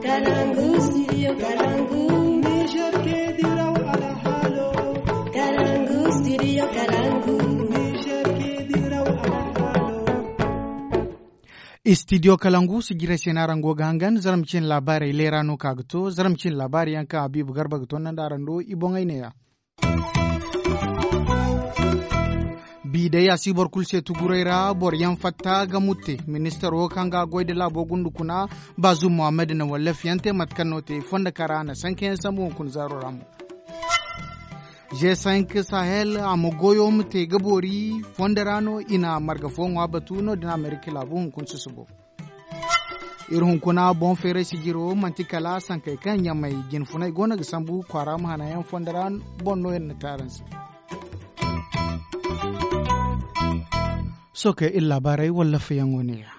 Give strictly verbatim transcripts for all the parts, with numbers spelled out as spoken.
Kalangu, studio Kalangu. Niger ke diraw alhalo. Kalangu, studio Kalangu. Niger ke diraw alhalo. Studio Kalangu, sijira se no araŋ go ga hangan, zarma cine laabaarey leera no ka ga to, zarma cine laabaari yaŋ kaŋ Habiibu Garba ga tondandi araŋ do, i boŋey neeya. Bi day a si boro kulu se tuguray ra, boro yaŋ fatta ga mutte. Ministaro kaŋ ga goy da laabo gundu kuna, Baazum Muhammad na wallaf yaŋ te mate kaŋ no te fondo kara na sanka yaŋ sambu hunkuna zaaro ra mo. G cinq Sahel a ma goyo ma te ga boori fondo ra no i na marga fo ŋwa batu no- din Amerika laabu hunkuna susubo. Iri hunkuna boŋ feeray sijiro manti kala sankey kaŋ ɲamey jinfunay go no ga sambu kwaara ma hanayaŋ fondo ra boŋ no iri na te araŋ se. Sohõ kay iri laabaarey wallaafayaŋo neeya.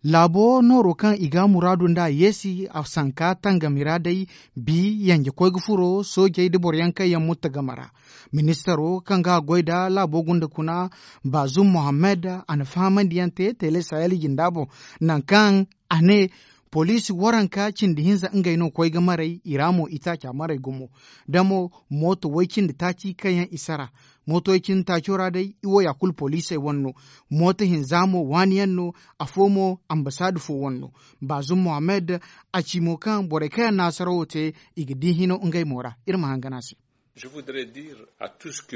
Laabo nooro kaŋ i ga muraadu nd'a yeesi a sanka tangami ra day, bi yanje koy ga furo soojey nda boroyaŋ kaŋ yaŋ mutta game ra. Ministaro kaŋ ga goy nda laabo gunda kuna, Baazum Mohammed, a na fahamandiyaŋ te tele sahel jinda boŋ, nangu kaŋ a ne poliisi waranka cindi hinza ngey no koy ga maray i ra mo itaaca maray gumo. Da mo mooto way cindi taaci kaŋ yaŋ i sara. Mooto way cindi taaco ra day i wo ya kulu poliisey wane no. Mooto hinza mo waani yaŋ no. Afo mo ambasaada fo wane no. Baazum Mohammed, a ci mo kaŋ borey kaŋ yaŋ na hasarawo te, i ga di hino ngey mo ra. Iri ma hangan a se.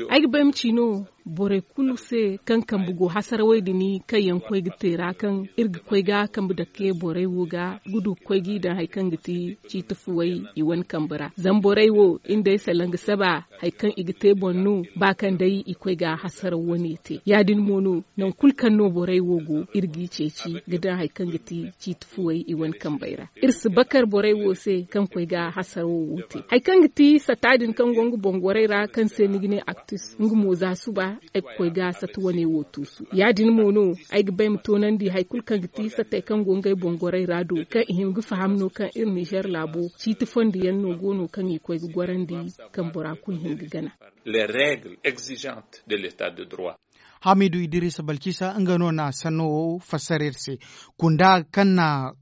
Ay ga bay ma ci no borey kulu se kaŋ kambe go hasarawey din kaŋ yaŋ koy ga te ra kaŋ iri ga koy ga kambe dake borey wo ga ga du ga koy g'i daŋ hari kaŋ ga ti ciiti fuwey i wane kambe ra. Zama borey wo iri day salaŋ ga saba hari kaŋ i ga te boŋ no ba kaŋ day i koy ga hasaraw wane te ya- din mo no. Nangu kulu kaŋ no borey wo go iri g'i ceeci ga daŋ hari kaŋ ga ti ciiti fuwey i wane kambey ra. Iri si bakar borey wo se kaŋ koy ga hasarawo wo te hari kaŋ ga ti sata din kaŋ go nga boŋ gorey ra kaŋ se ni ga ne aktus nga mo za suba ay ga koy ga sata wane wo tuusu ya- din mo no. Ay ga bay ma toonandi hari kulu kaŋ ga ti satey kaŋ go ngey boŋ gorey ra do kaŋ i hin ga faham no kaŋ iri nizer laabo ciiti fondo yaŋ no go no kaŋ i koy ga gorandi kaŋ bora kulu hin ga gana. Les règles exigeantes de l'état de droit. Hamidu idirisa balkisa nga no na sanno wo fassara iri se. Kunda kaŋ na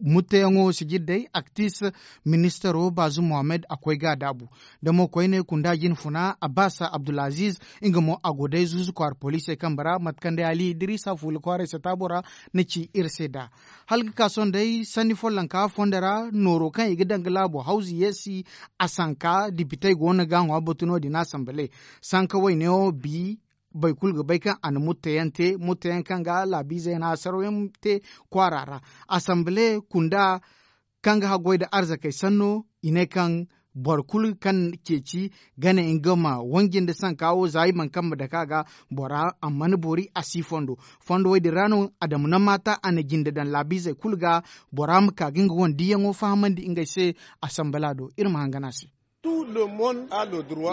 mutteyaŋo sijir day aktis ministaro bazu mohammed a koy ga a daabu. Da mo koyne kunda jinfuna abbas abdulaziz nga mo a go day zuuzu kwaara poliisey kambe ra mate kaŋ day ali idirisa fuula kwaaray sataabo ra na ci iri se nd'a. Hala ga ka sohõ day sanni follonka fondo ra nooro kaŋ i ga daŋ ga laabo hawzu yeesi a sanka dipitey go no ga a ŋwa batu no- din asanbale. Sanka waynewo bi boro kulu ga bay kaŋ a na mutteyaŋ te mutteyaŋ kaŋ ga laabiizey na hasaraw yaŋ te kwaara ra. Asanbale kunda kaŋ ga haggoy nda arzakey sanno i ne kaŋ boro kulu kaŋ ceeci gane nga ma wanji nda sanka wo za i mana kaŋ ma dake a ga bora a mana boori a si fondo. Fondo wo- din ra no adama na maata a na jinde daŋ laabiizey kulu ga bora ma ka ga nga wane diiyaŋo fahamandi ngey se. Asanbala do iri ma hangan a se.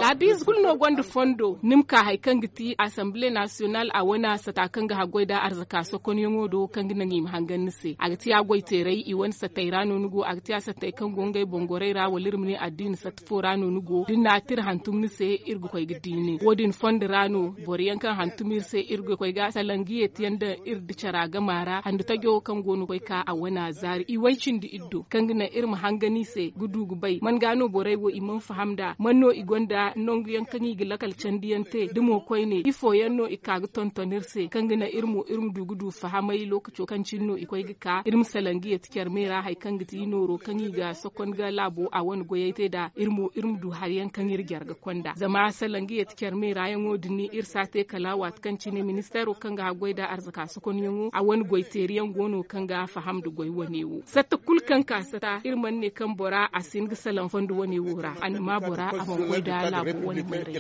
Laabiize kulu no gonda fondo ni ma ka hari kaŋ ga ti asanbile nasiyonal a wane sata kaŋ ga haggoy nda arzaka sokonyaŋo do kaŋ ga naŋ i ma hangan ni se a ga ti a goyteeray i wane satey ra no ni go a ga ti a satey kaŋ go ngey boŋ gorey ra wala iri ma ne addiina satta fo ra no ni go da ni na a tira hantum ni se iri ga koy ga di nin wo- din fondo ra no boro yaŋ kaŋ hantum iri se iri ga koy ga salaŋ ga yeeti yaŋ daŋ iri nda cara gama ra handu tajo kaŋ go no ga koy ka a wane zaari i way cindi iri do kaŋ ga naŋ iri ma hangan i se ga du ga bay man ga no borey wo i mana faham nd'a man no i gonda nangu yaŋ kaŋ i ga lakal candi yaŋ te da mo koyne ifo yaŋ no i ka ga tonton iri se kaŋ ga naŋ iri mo iri ma du ga du fahamay lookaco kaŋ cine no i koy ga ka iri ma salaŋ ga yeeti care me ra hari kaŋ ga ti nooro kaŋ i ga sokon ga laabo a wane goyey te nd'a iri mo iri ma du hari yaŋ kaŋ iri jare ga konda zama salaŋ ga yeeti care me ra yaŋo din iri si a te kala waati kaŋ cine ministeero kaŋ ga haggoy nda arzaka sokonyaŋo a wane goyteeri yaŋ go no kaŋ ga faham nda goy wane wo satta kulu kaŋ ka satta iri mana ne kaŋ bora a si hin ga salaŋ fondo wane wo ra a na ma bora a mana koy nda laabo wane mayray.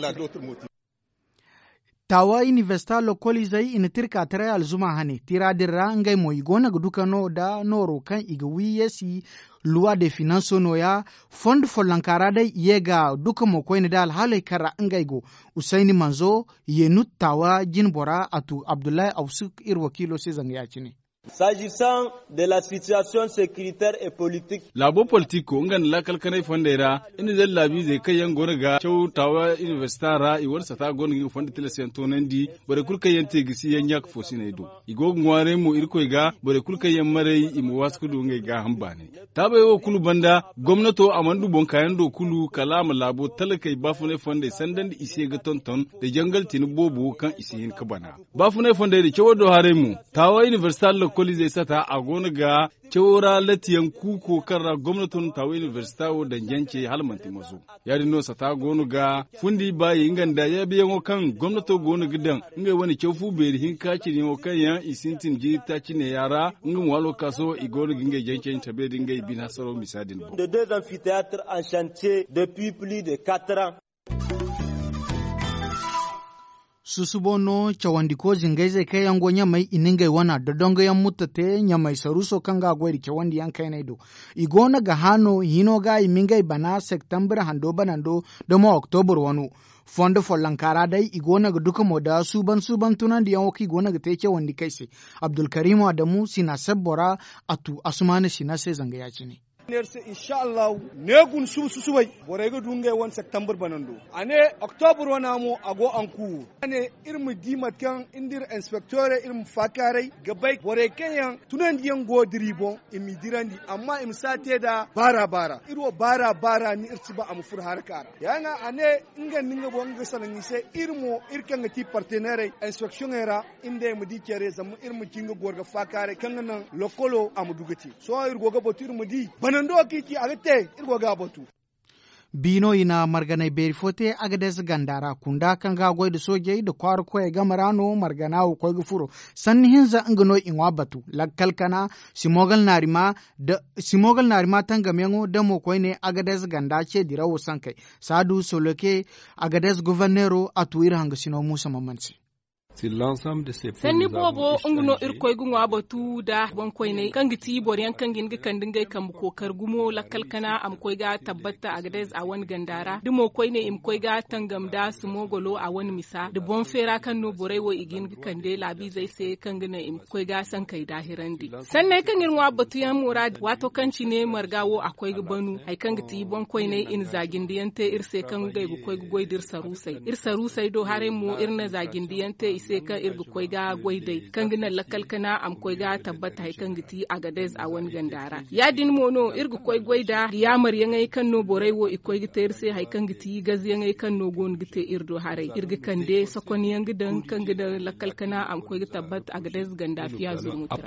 Taawa inibersita lokoliizey i na tirka taray alzuma hane tira din ra ngey mo i go no ga duka no nda nooro kaŋ i ga wi yeesi luwa de finanso nooya. Fondo follonka ra day i ye ga duka mo koyne nda alhaaley kaŋ ra ngey go usayni manzo yenut taawa jinbora a tu abdullahi awsuk iri wakiilo se zanga ya- cine. S'agissant de la situation sécuritaire et politique. Laabo politiko nga nda laakal kanay fondey ra, iri na daŋ laabiizey kaŋ yaŋ go no ga caw taawa inibersita ra i wane sata go no ga nga fondo tilas yaŋ toonandi. Borey kulu kaŋ yaŋ te gisi yaŋ ɲaaka foosiney do, i go ga ŋwaaray mo irkoy ga. Borey kulu kaŋ yaŋ maray i ma waasu ga du ngey gaaham baanay. Taabey wo kulu banda, gomnato a mana du boŋ kaayaŋ do kulu kala a ma laabo talakey baafunay fondey sandandi i se ga tonton nda jangal tini boobo kaŋ i si hin ga bana. Baafunay fondey din cawo do haray mo, taawa inibersita lokoliizey sata a go no ga cawo ra latiyaŋ kuuko kaŋ ra gomnato na taawa inibersita wo daŋ jance hala manti maso. Ya- din no sata go no ga fundi baayey nga nda yaabiyaŋo kaŋ gomnato go no ga daŋ ngey wane caw fu beeri hinka cine yaŋo kaŋ yaŋ i sintin jiiri taaci neeya ra. Nga mo alwakaaso i go no ga ngey jance tabe nda ngey bine hasaro misa din boŋ. De deux amphithéâtres en chantier depuis plus de quatre ans. Susubo no cawandiko zingayzey kaŋ yaŋ go ɲamey i na ngey wana dodongoyaŋ mutta te ɲamey saruuso kaŋ ga a goy nda cawandiyaŋ kayney do. I go no ga hã no hino ga i ma ngey bana septambur hando banando da mo oktobur wano. Fondo follonka ra day i go no ga duka mo nda suuban suuban tunandiyaŋo kaŋ i go no ga te cawandikey se. Abdulkarim adamu sina sebbo ra a tu asumaana sina se zanga ya- cine. Neera se insha allahu ne guna suba susubay borey ga du ngey wane septambur banando. A ne oktobur wana mo a go ankuuru. A ne iri ma di mate kaŋ nda iri inspektorey iri ma faakaaray ga bay borey kaŋ yaŋ tunandiyaŋ go dira i boŋ i m'i dirandi amma i ma si a te nd'a baara baara iri wo baara baara ni iri si ba a ma furo haraka ra. Ya- din a ne nga nda nga boŋ nga ga salaŋ i se iri mo iri kaŋ ga ti parteneerey inspeksiyoŋey ra. Iri nd'ey ma di care zama iri ma ci nga goro ga faakaaray kaŋ ga naŋ lokolo a ma du ga te. Sohõ iri go ga batu iri ma di banando wo kaŋ i ci a ga te. Iri go ga a batu. Biino i na marganay beeri fo te agades ganda ra kunda kaŋ ga a goy nda soojey nda kwaara koyey game ra no margana wo koy ga furo. Sanni hinza nga no i ŋwa batu lakkal kana simogal naarima tangamyaŋo damo koyne agades ganda ce dirawo sankey. Saadu soloke agades goforneero a tu iri hangasino muusa mamman se. Sanni boobo nga no irkoy ga ŋwa batu nda boŋkoyney kaŋ ga ti boro yaŋ kaŋ ga hin ga kande ngey kambe kookari gumo lakkal kana a ma koy ga tabbata agades a wane ganda ra da mo koyne i ma koy ga tangam nda simogolo a wane misa nda boŋ feera kaŋ no borey wo i ga hin ga kande laabiizey se kaŋ ga naŋ i ma koy ga sankey daahirandi. Sanney kaŋ iri ŋwa batuyaŋ mo ra waato kaŋ cine marga wo a koy ga banu hari kaŋ ga ti boŋkoyney i na zaajindiyaŋ te iri se kaŋ ngey ga koy ga goy da iri saruusey iri saruusey do haray mo iri na zaajindiyaŋ te i se kaŋ iri ga koy ga goy day kaŋ ga naŋ lakkal kana a ma koy ga tabbata hari kaŋ ga ti agadez a wane ganda ra. Ya- din mo no iri ga koy goy nda yaamaryaŋey kaŋ no borey wo i koy ga te iri se hari kaŋ ga ti gazyaŋey kaŋ no go no ga te iri do haray iri ga kande sokonyaŋ ga daŋ kaŋ ga daŋ lakkal kana a ma koy ga tabbata agadez ganda fiya zurmuti ra.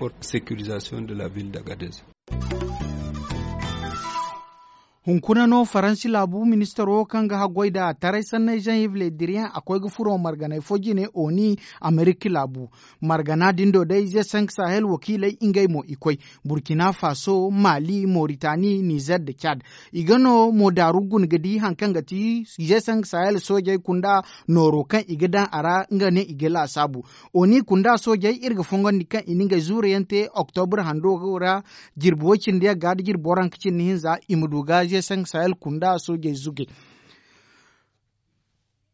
Hunkuna no faransi laabu ministaro kaŋ ga haggoy nda taray sanney jean yves le drian a koy ga furo marganey fo jine oni amerika laabu. Margana din do day ze cinq sahel wakiiley ngey mo i koy burkina faso mali moritani nizer nda cad. I ga no mo daaru guna ga di hari kaŋ ga ti ze cinq sahel soojey kunda nooro kaŋ i ga daŋ a ra nga ne i ga laasaabu. Oni kunda soojey iri ga fongondi kaŋ i na ngey zuurayaŋ te oktobur hando ra jirbi way cindi yagga nda jirbi waranka cindi hinza i ma du ga ze cinq sahel kunda soojey zuge.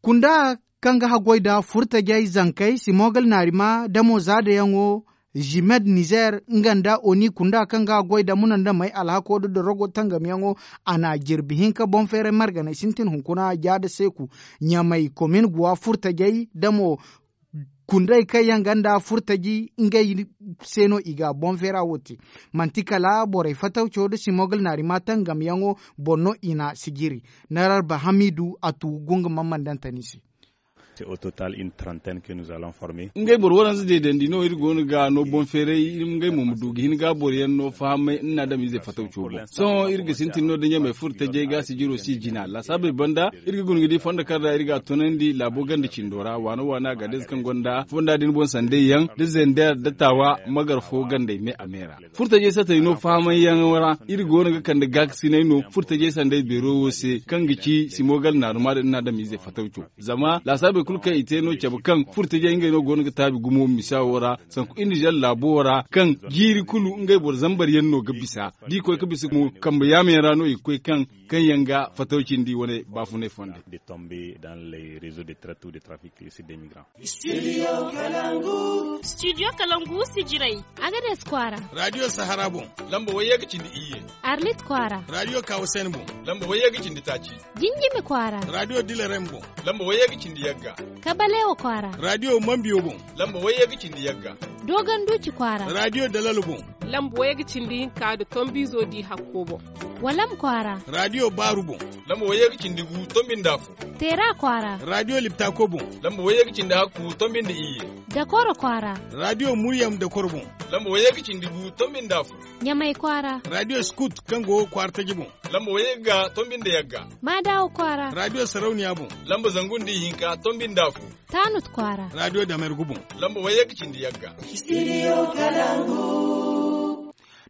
Kunda kaŋ ga haggoy nda furtajey zankey simogal naarima damo zaadayaŋo jimed nizer nga nda oni kunda kaŋ ga haggoy nda munandamey alhako nda dorogo tangamyaŋo a na jirbi hinka boŋ feeray marganey sintin hunkuna jaada seeku ɲamey komin guwa furtajey damo kundey kaŋ yaŋ ganda furtaji ngey se no i ga boŋ feera wo te. Manti kala borey fatawco nda simogal naarima tangamyaŋo boŋ no i na sijiri. Nararba hamidu a tu gunga mammandantani se. Ngey boro waranza deedandi no iri go no ga no boŋ feeray iri ma ngey mo ma du ga hin ga boro yaŋ no fahamay nna adamize fatawco boŋ. Sohõ iri ga sintin no da ɲamey furo tajey ga sijiro si jina laasaabey banda iri ga guna ga di fondo kaŋ ra iri ga a tunandi laabo ganda cindo ra waana waana ga da ize kaŋ gonda fonda din boŋ sanday yaŋ da zender da taawa magar fo gandey me a me ra. Furtajey satey no fahamay yaŋo ra iri go no ga kande gaakasinay no furtajey sanday beero wo se kaŋ ga ci simogal naaruma da nna adamize fatawco. Zama laasaabey Kulu kaŋ i te no cabe kaŋ furtajey ngey no go no ga taabi gumo misa wo ra sanku iri nizer laabo wo ra kaŋ jiiri kulu ngey boro zambar yaŋ no ga bisa da i koy ga bisa mo kambe yaama yaŋ ra no i ga koy kaŋ kaŋ yaŋ ga fataw cindi wane baafunay fonda. Studio kalangu sijiray, agades kwaara. Radio sahara boŋ, lamba wayye ga cindi iyye. Arlit kwaara. Radio kawasen boŋ, lamba wayye ga cindi taaci. Jinjimi kwaara. Radio dilarem boŋ, lamba wayye ga cindi yagga. Kabalewa kwaara. Radio mambiyo boŋ, lamba wayye ga cindi yagga. Dogon duci kwaara. Radio dalalo boŋ, lamba wayye ga cindi hinka nda tombizo di hakko boŋ. Walam kwaara. Radio baaru boŋ, lamba wayye ga cindi gu tombi nda afo. Teera kwaara. Radio liptako boŋ, lamba wayye ga cindi hakku tombi nda iyye. Dakoro kwaara. Radio muryam dakoro boŋ, lamba wayye ga cindi gu tombi nda afo. Ɲamay kwaara. Radio skut kaŋ go kwaara taji boŋ, lamba wayye ga tombi nda yagga. Maadawa kwaara. Radio sarauniya boŋ, lamba zangu nda ihinka tombi nda afo. Taanut kwaara. Radio damergu boŋ, lamba wayye ga cindi yagga.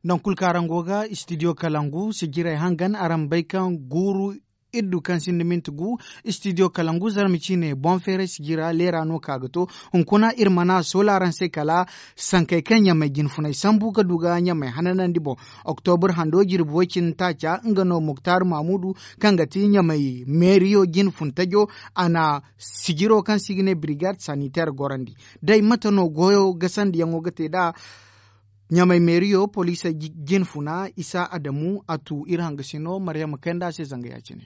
Nangu kulu kaŋ araŋ go ga studio kalangu sijiray hangan araŋ bay kaŋ guuru iddu kaŋ sinda minti gu. Studio kalangu zarma ciine boŋ feeray sijira leera no ka ga to. Hunkuna iri mana soola araŋ se kala sankey kaŋ ɲamay jinfunay sambu ga du ga ɲamay hananandi boŋ. Oktobur hando jirbi way cindi taaca nga no muktar mamudu kaŋ ga ti ɲamay meeriyo jinfun tajo a na sijiro kaŋ se i ga ne birigad saniter gorandi. Day mate no goyo gasandiyaŋo ga te nd'a? Ɲamay meeriyo poliisey jinfuna isa adamu a tu iri hangasino maryama kay nd'a se zanga ya- cine.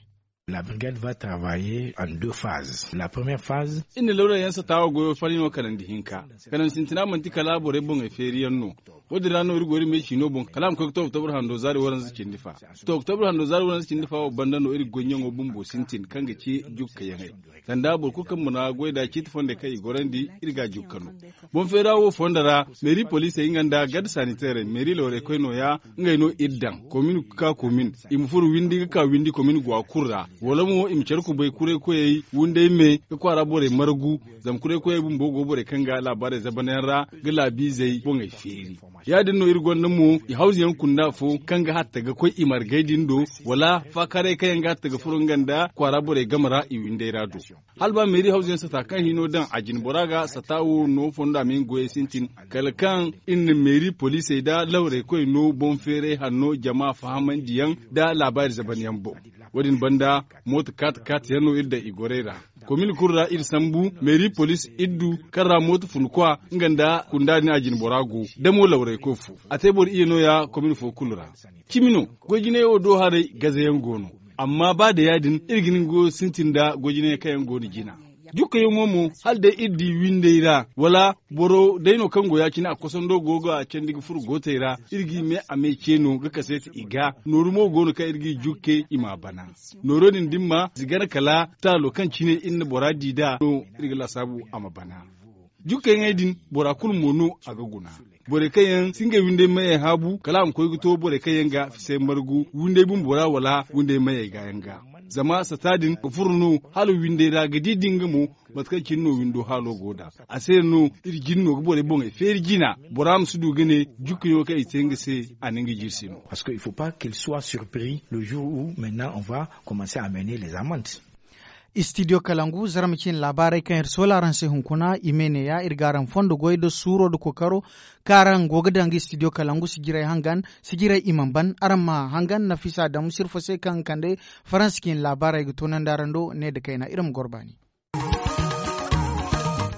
La brigade va travailler en deux phases la première phase. Iri na lawra yaŋ sata wo goyo fari no kanandi hinka. Kanandi sintina manti kala borey boŋey feeriyaŋ no. Wo- din ra no iri go iri me ciino boŋ kala a ma koy ga to oktobur hando zaari waranza cindi fa. To oktobur hando zaari waranza cindi fa wo banda no iri goyyaŋo bumbo sintin kaŋ ga ci jukkayaŋey. Sanda boro kulu kaŋ mana goy nd'a ciiti fondey kaŋ i gorandi iri ga a jukka no. Boŋ feera wo fonda ra meeri poliisey nga nda garde saniteerey meeri lawraykoy nooya. Ngey no iri daŋ komin ga ka komin i ma furo windi ga ka windi komin gwa kulu ra. Wala mo i ma care kubay kuraykoyey wunday me ga kwaara borey margu. Zama kuraykoyey bumbo go borey kaŋ ga laabaarey zabanyaŋ ra ga laabiizey boŋey feeri. Ya- din no iri gonda mo i hawzuyaŋ kunda fo kaŋ ga hatta ga koy i margey din do wala faakaarey kaŋ yaŋ ga hatta ga furo nga nda kwaara borey game ra i winday ra do. Hala ba meeri hawzuyaŋ sata kaŋ hino daŋ a jine bora ga sata wo no fondo a ma hin goyey sintin kala kaŋ iri na meeri poliisey nda lawraykoy no boŋ feeray hanno jama fahamandiyaŋ nda laabaari zabanyaŋ boŋ. Wo- din banda mooto kaati kaati yaŋ no iri daŋ i gorey ra. Komin kulu ra iri sambu meeri poliis iri du kaŋ ra mooto fun kwa nga nda kunda din a jine bora go damo lawraykoy fo. A te boro iyye nooya komin fo kulu ra. Cimi no goy jinay wo do haray gazayaŋ go no. Amma ba da ya- din iri ga ni goyo sintin nda goy jinay kaŋ yaŋ go no jina. Jukkayaŋo mo hala day iri di winday ra wala boro day no kaŋ go ya- cine a kosando go ga candi ga furo gootey ra iri g'i me a me ce no ga kaseeti i ga nooru mo go no kaŋ iri g'i jukke i m'a bana. Nooro din da ni ma zigana kala taalo kaŋ cine iri na bora di nd'a no iri ga laasaabu a ma bana. Jukkayaŋey din bora kulu mo no a ga guna. Borey kaŋ yaŋ si ngey windey mayey haabu kala a ma koy ga to borey kaŋ yaŋ ga fisay margu windey bumbo ra wala windey mayey ga yaŋ ga. Zama sata din ga furo no hala windey ra ga di da nga mo mate kaŋ cine no windo haalo go nd'a. A se no iri jin no ga borey boŋey feeri jina bora ma si du ga ne jukkayaŋo kaŋ i te nga se a na nga jiri se no. Parce que il faut pas qu'il soit surpris le jour où maintenant on va commencer à mener les amendes. Studio kalangu zarma ciine laabaarey kaŋ iri soola araŋ se hunkuna i me neeya iri ga araŋ fondo goy nda suuro nda kookaro kaŋ araŋ go ga daŋ ga studio kalangu sijirey hangan sijirey i mana ban araŋ ma hangan nafisa daŋ sirfo se kaŋ ga kande faransa ciine laabaarey ga toonandi araŋ do ne nda kayna iri ma goro baani.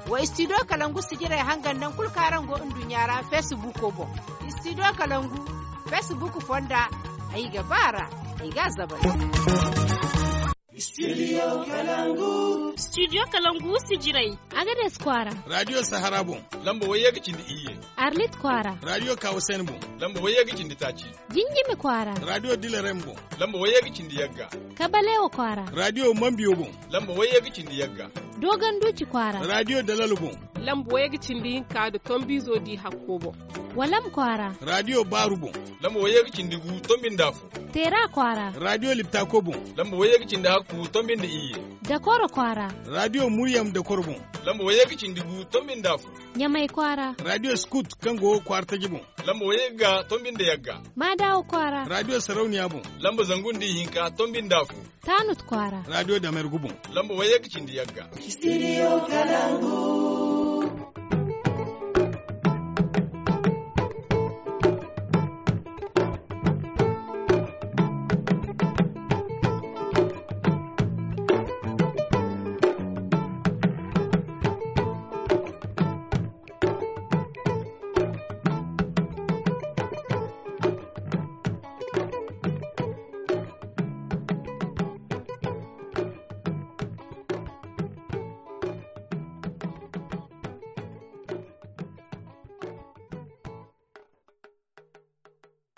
Wa studio kalangu sijirey hangan nangu kulu kaŋ araŋ go nduɲɲa ra feesibuuko boŋ. Studio kalangu feesibuuko fonda ay ga ba a ra ay ga a zabal. Studio kalangu sijirey agades kwaara. Radio sahara boŋ lamba wayye ga cindi iyye. Arlit kwaara. Radio kawasen boŋ lamba wayye ga cindi taaci. Jinjimi kwaara. Radio dilarem boŋ lamba wayye ga cindi yagga. Kabalewa kwaara. Radio mambiyo boŋ lamba wayye ga cindi yagga. Dogon duci kwaara. Radio dalalo boŋ. lamba wayye ga cindi hinka nda tombiizo di hakko boŋ. Walam kwaara. Raadiyo baaru boŋ. Lamba wayye ga cindi gu tombi nda afo. Teera kwaara. Raadiyo liptako boŋ. Lamba wayye ga cindi hakku tombi nda iyye. Dakoro kwaara. Raadiyo muryam dakoro boŋ. Lamba wayye ga cindi gu tombi nda afo. Ɲamay kwaara. Raadiyo skut kaŋ go kwaara taji boŋ. Lamba wayye ga tombi nda yagga. Maadawa kwaara. Raadiyo sarauniya boŋ. Lamba zangu nda ihinka tombi nda afo. Taanut kwaara. Raadiyo damergu boŋ. Lamba wayye ga cindi yagga. Studio Kalangu.